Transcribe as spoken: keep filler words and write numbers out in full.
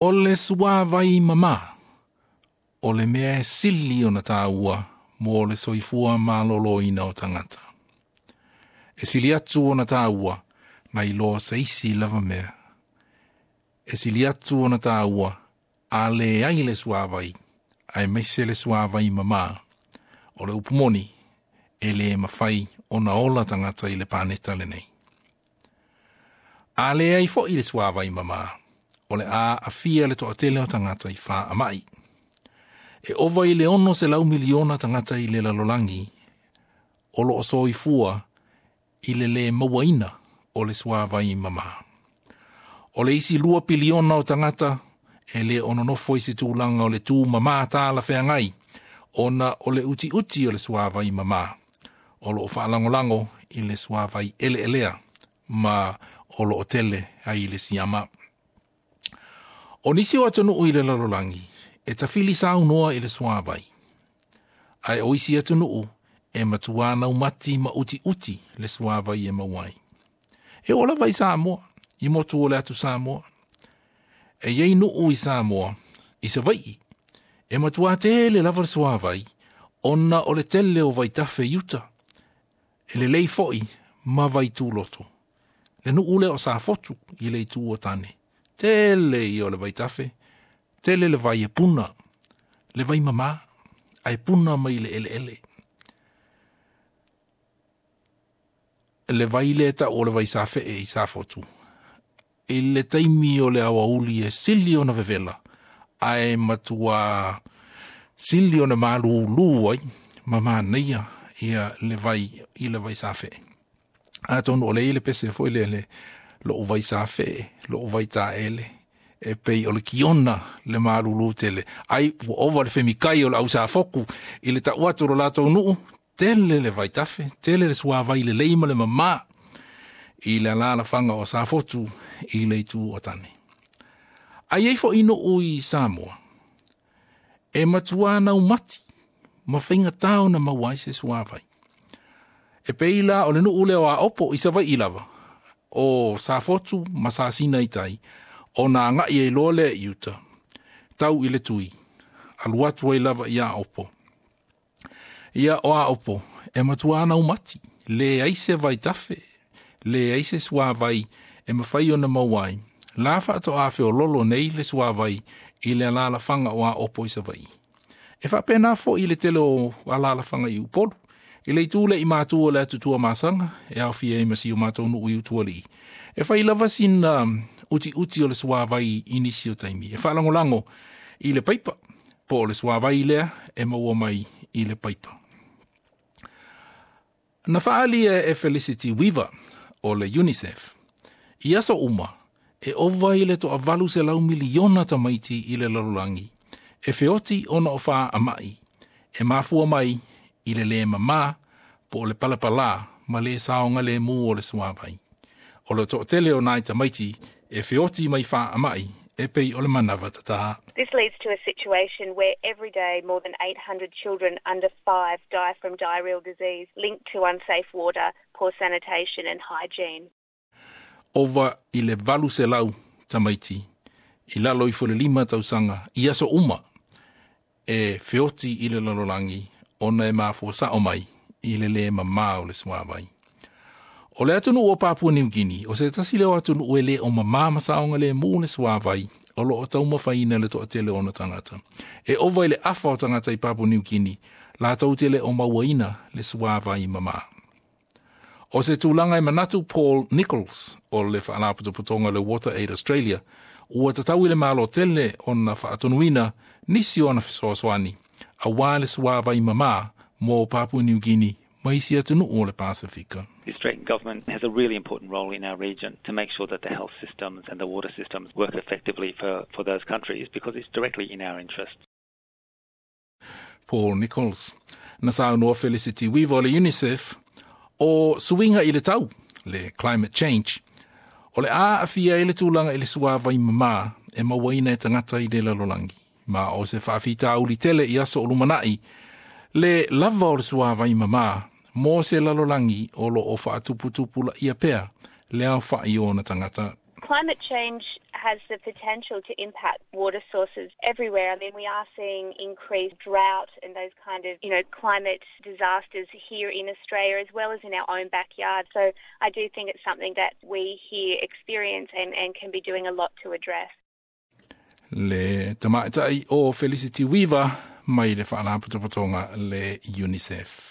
O le suāvai mamā, o le mea e sili ona tāua mo le soifua malōlōina o tagata. E sili atu ona tāua nai lo se isi lava mea. E sili atu ona tāua a leai le suāvai, aemaise le suāvai mamā. O le upu moni, e le mafai ona ola tagata i le paneta lenei. A leai fo'i le suāvai mamā, o le a aafia le toatele o tagata i faamai. E ova i le ono selau miliona tagata i le lalolagi, o lo o soifua i le lē mauaina o le suāvai mamā. O le isi lua piliona o tagata e le o nonofo i se tulaga o le tūmamā talafeagai, ona o le utiuti o le suāvai mamā, o lo o faalagolago i le suāvai eleelea ma o lo o tele ai le siama. O nisi o atunuu i le lalolagi, e tafili saunoa i le suāvai. Ae o isi atunuu e matuā naumati ma utiuti le suāvai e maua ai. E oo lava i Samoa, i motu o le atu Samoa. E iai nuu i Samoa, i Savaii, e matuā tele lava le suāvai, ona o le tele o vaitafe i uta. E lelei fo'i ma vaituloto. Le nuu lea o Safotu i le itu o Tane. Tele ia o le vaitafe, tele le vai e puna, le vai mamā, ae puna mai le eleele. Le vai lea ta'u o le vai safe'e i Safotu. I le taimi o le aoauli e sili ona vevela, ae matuā sili ona malūlū ai, ma manaia ia le vai i le vai safe'e. Atonu o le i le pese fo'i lea le lo'u vai safe'e, lo'u vai taele, e pei o le kiona le malūlū tele. Ai ua ova le femikai o le ausafoku i le ta'u atu o lo latou nuu, tele le vaitafe, tele le suāvai lelei ma le mamā i le alalafaga o Safotu i le itu o Tane. Ae iai fo'i nuu i Samoa, e matuā naumati ma faigatā ona maua ai se suāvai. E pei la o le nuu lea o Aopo i Savaii lava, o Safotu ma Sasina i tai, ona aga'i ai loa lea i uta, tau i le tui, alu atu ai lava i Aopo. Ia o Aopo, e matuā naumati, leai se vaitafe, leai se suāvai e mafai ona maua ai. La faatoā feololo nei le suāvai i le alalafaga o Aopo i Savaii. E faapena fo'i le tele o alalafaga i Upolu. I le itu lea i matu o le atu Tuamasaga, e aofia ai ma si o matou nuu i Utualii. E fai lava sina utiuti o le suāvai i nisi o taimi. E faalagolago i le paipa, po o le suāvai lea e maua mai i le paipa. Na faaalia e Felicity Weaver o le UNICEF, i aso uma, e ova i le toavalu selau miliona tamaiti i le lalolagi, e feoti ona o faamai, e mafua mai i le lē mamā po o le palapalā ma le saogalēmū o le suāvai. O le toatele o nai tamaiti e feoti mai faamai e pei o le manava tatā. This leads to a situation where every day more than eight hundred children under five die from diarrheal disease linked to unsafe water, poor sanitation and hygiene. Ova i le valu selau tamaiti i lalo ifo le lima tausaga i aso uma e feoti i le lalolagi ona e mafua sa'o mai i le lē mamā o le suāvai. O le atunuu o Papua New Guinea, o se tasi lea o atunuu e lē o mamā ma saogalēmū le suāvai o lo o taumafaina le toatele o ona tagata. E ova i le afa o tagata i Papua New Guinea, latou te le o mauaina le suāvai mamā. O se tulaga e manatu Paul Nichols o le faalapotopotoga le Water Aid Australia, ua tatau i le Malo tele ona faatonuina nisi o ana fesoasoani, auā le suāvai mamā mo Papua New Guinea ma isi atunuu o le Pasifika. The Australian government has a really important role in our region to make sure that the health systems and the water systems work effectively for, for those countries because it's directly in our interest. Paul Nichols. Na saunoa Felicity Weaver o le UNICEF o suiga i le tau, le climate change, o le a aafia ai le tulaga i le suāvai mamā e mauaina e tagata i le lalolagi. Ma o se faafitauli tele i aso o lumana'i, le lava o le suāvai mamā mo se lalolagi o lo o faatuputupulaia pea le aofa'i o ona tagata. Climate change has the potential to impact water sources everywhere. I mean, we are seeing increased drought and those kind of, you know, climate disasters here in Australia as well as in our own backyard. So I do think it's something that we here experience and, and can be doing a lot to address. Le tamaitai o Felicity Weaver mai le Faalapotopotoga le UNICEF.